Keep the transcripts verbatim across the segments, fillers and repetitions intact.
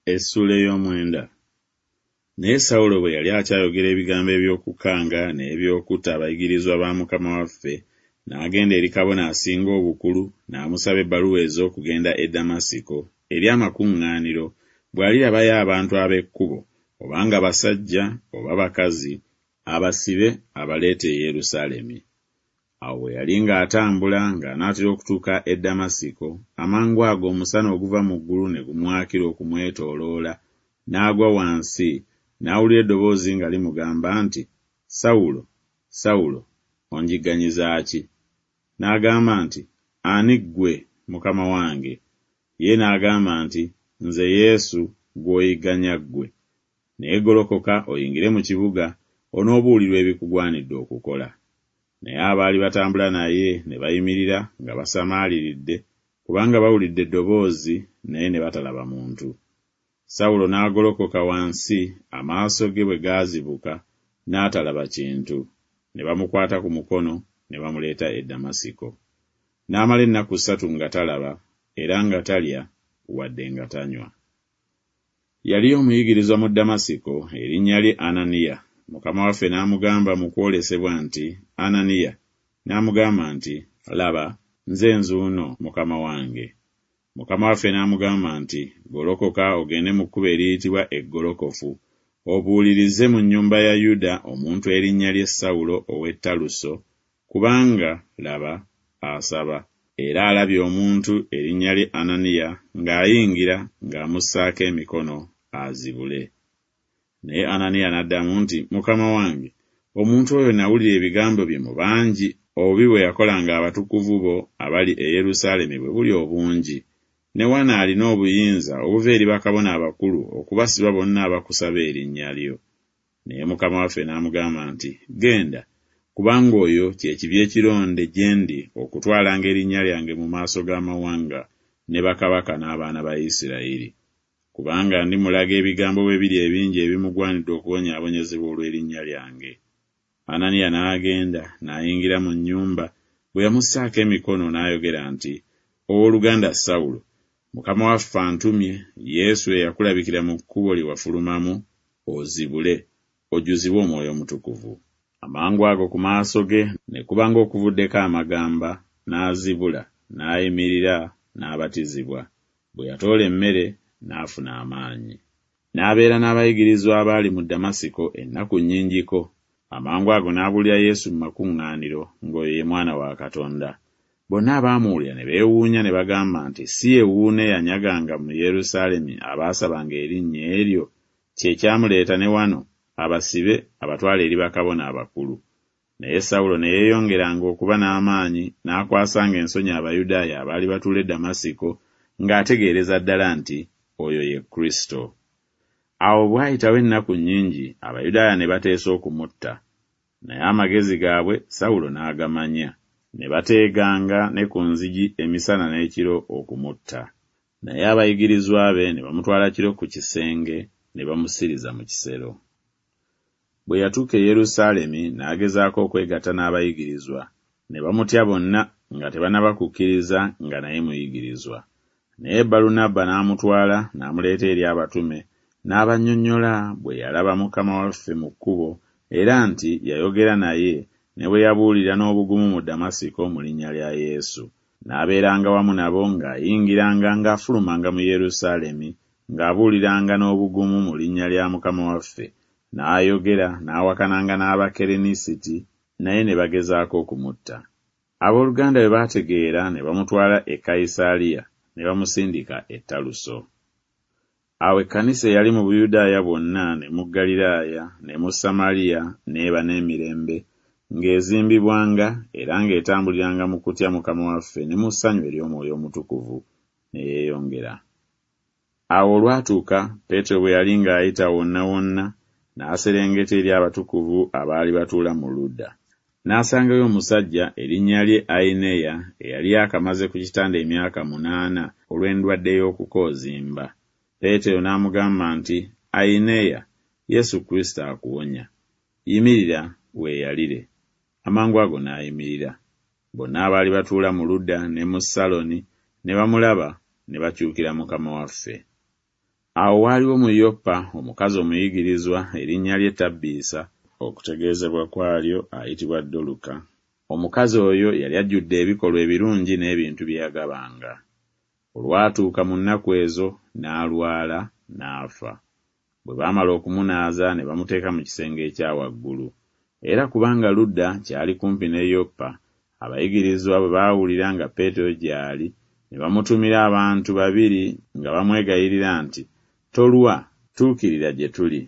Essuula ey'omwenda. Naye Sawulo bwe yali akyayogera ebigambo eby'okukanga n'eby'okutta abayigirizwa ba Mukama waffe, n'agenda eri kabona asinga obukulu n'amusaba ebbaluwa ez'okugenda e Damasiko eri amakuŋŋaaniro, bw'alirabayo abantu ab'Ekkubo, obanga basajja oba bakazi, abasibe abaleete e Yerusaalemi. Awo bwe yali ng'atambula ng'anaatera okutuuka e Damasiko, amangu ago omusana oguva mu ggulu ne gumwakira okumwetooloola, n'agwa wansi, n'awulira eddoboozi nga limugamba nti, Sawulo, Sawulo, onjigganyiza ki? N'agamba nti, Ani ggwe, Mukama wange? Ye n'agamba nti, Nze Yesu gw'oyigganya ggwe. Naye golokoka oyingire mu kibuga, onoobuulirwa ebikugwanidde okukola. Naye abaali batambula naye ne bayimirira nga basamaaliridde, kubanga bawulidde eddoboozi, naye ne batalaba muntu. Sawulo n'agolokoka wansi, amaaso ge bwe gaazibuka, n'atalaba kintu. Ne bamukwata ku mukono, ne bamuleeta e Damasiko. N'amala ennaku ssatu nga talaba, era nga talya, wadde nga tanywa. Yaliyo omuyigirizwa mu Damasiko, erinnya lye Ananiya. Mukama waffe n'amugamba mu kwolesebwa nti, Ananiya. N'amugamba nti, Laba, nze nzuuno, Mukama wange. Mukama waffe n'amugamba nti, Golokoka ogende mu kkubo eriyitibwa Eggolokofu, obuulirize mu nnyumba ya Yuda omuntu erinnya lye Sawulo ow'e Taluso, kubanga, laba, asaba, era alabye omuntu erinnya lye Ananiya ng'ayingira ng'amussaako emikono azibule. Naye Ananiya n'addamu nti, Mukama wange, omuntu oyo nawulira ebigambo bye mu bangi, obubi bwe yakolanga abatukuvu bo abali e Yerusaalemi bwe buli obungi. Ne wano alina obuyinza obuva eri bakabona abakulu okubasiba bonna abakusaba erinnya lyo. Naye Mukama waffe n'amugamba nti, Genda, kubanga oyo kye kibya ekironde gye ndi okutwalanga erinnya lyange mu maaso g'amawanga ne bakabaka n'abaana ba Isirayiri. Kubanga ndimulaga ebigambo bwe biri ebingi ebimugwanidde okubonyaabonyezebwa olw'erinnya lyange. Ananiya n'agenda n'ayingira mu nnyumba, bwe yamussaako emikono n'ayogera nti, Owooluganda Sawulo, Mukama waffe antumye, Yesu eyakulabikira mu kkubo lye wafulumamu, ozibule, ojjuzibwe Omwoyo Omutukuvu. Amangu ago ku maaso ge ne kuba ng'okuvuddeko amagamba, n'azibula, n'ayimirira, n'abatizibwa. Bwe yatoola emmere, n'afuna amaanyi. N'abeera n'abayigirizwa abaali mu Damasiko ennaku nnyingiko. Amangu ago n'abuulira Yesu mu makuŋŋaaniro, ng'oyo ye Mwana wa Katonda. Bonna abaamuwulira ne beewuunya ne bagamba nti, Si ye wuuno eyanyaganga mu Yerusaalemi abaasabanga erinnya eryo, kye kyamuleeta ne wano, abasibe abatwale eri bakabona abakulu. Naye Sawulo ne yeeyongeranga okuba n'amaanyi, n'akwasanga ensonyi Abayudaaya abaali batuula e Damasiko, ng'ategeereza ddala nti oyo ye Kristo. Awo bw'ayitawo ennaku nnyingi, Abayudaaya ne bateesa okumutta. Naye amagezi gaabwe Sawulo n'agamanya. Ne bateeganga ne ku nzigi emisana n'ekiro okumutta. Naye abayigirizwa be ne bamutwala kiro ku kisenge, ne bamusiriza mu kisero. Bwe yatuuka e Yerusaalemi n'agezaako okwegatta n'abayigirizwa, ne bamutya bonna nga tebannaba kukkiriza nga naye muyigirizwa. Naye Balunabba n'amutwala n'amuleeta eri abatume, n'abannyonnyola bwe yalaba Mukama waffe mu kkubo, era nti yayogera naye, ne bwe yabuulira n'obugumu mu Damasiko mu linnya lya Yesu. N'abeeranga wamu nabo ng'ayingiranga ng'afulumanga mu Yerusaalemi, ng'abuuliranga n'obugumu mu linnya lya Mukama waffe. N'ayogera n'awakananga n'Abakerenisiti, naye ne bagezaako okumutta. Abooluganda bwe baategeera ne bamutwala e Kayisaaliya, ne bamusindika e Taluso. Awo ekkanisa eyali mu Buyudaaya bwonna ne mu Ggaliraaya ne mu Samaliya n'eba n'emirembe, ng'ezimbibwanga era ng'etambuliranga mu kutya Mukama waffe ne mu ssanyu ery'Omwoyo Omutukuvu, ne yeeyongera. Awo olwatuuka, Peetero bwe yali ng'ayita wonna wonna, n'aserengeta eri abatukuvu abaali batuula mu Luda. N'asangayo omusajja erinnya lye Ayineya eyali akamaze ku kitanda emyaka munaana olw'endwadde y'okukoozimba. Peetero n'amugamba nti, Ayineya, Yesu Kristo akuwonya. Yimirira weeyalire. Amangu ago n'ayimirira. Bonna abaali batuula mu Luda ne mu Saloni ne bamulaba ne bakyukira Mukama waffe. Awo waaliwo mu Yopa omukazi omuyigirizwa, erinnya lye Tabbiisa, okutegeezebwa kwalyo ayitibwa Doluka. Omukazi oyo yali ajjudde ebikolwa ebirungi n'ebintu bye yagabanga. Olwatuuka mu nnaku ezo n'alwala, n'afa. Bwe baamala okumunaaza ne bamuteeka mu kisenge ekya waggulu. Era kubanga Luda kyali kumpi ne Yopa, abayigirizwa bwe baawulira nga Peetero gy'ali, ne bamutumira abantu babiri nga bamwegayirira nti, Tolwa, tuukirira gye tuli.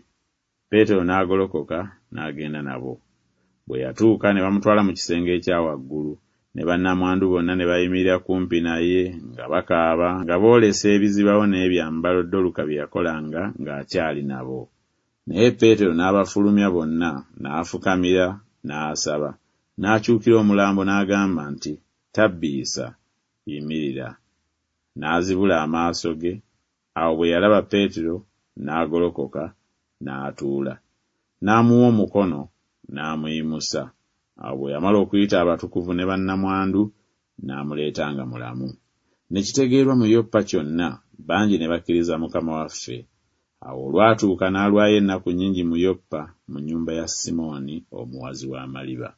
Peetero n'agolokoka n'agenda nabo. Bwe yatuuka ne bamutwala mu kisenge ekya waggulu, ne bannamwandu bonna ne bayimirira kumpi naye nga bakaaba nga boolesa ebizibawo n'ebyambalo Doluka bye yakolanga ng'akyali nabo. Naye Peetero n'abafulumya bonna, n'afukamira, n'asaba, n'akyukira omulambo n'agamba nti, Tabbiisa, yimirira. N'azibula amaaso ge, awo bwe yalaba Peetero, n'agolokoka, n'atuula. N'amuwa omukono, n'amuyimusa. Awo bwe yamala okuyita abatukuvu ne bannamwandu, n'amuleeta nga mulamu. Ne kitegeerwa mu Yopa kyonna, bangi ne bakkiriza Mukama waffe. Awo olwatuuka n'alwayo ennaku nnyingi mu Yopa mu nnyumba ya Simooni omuwazi w'amaliba.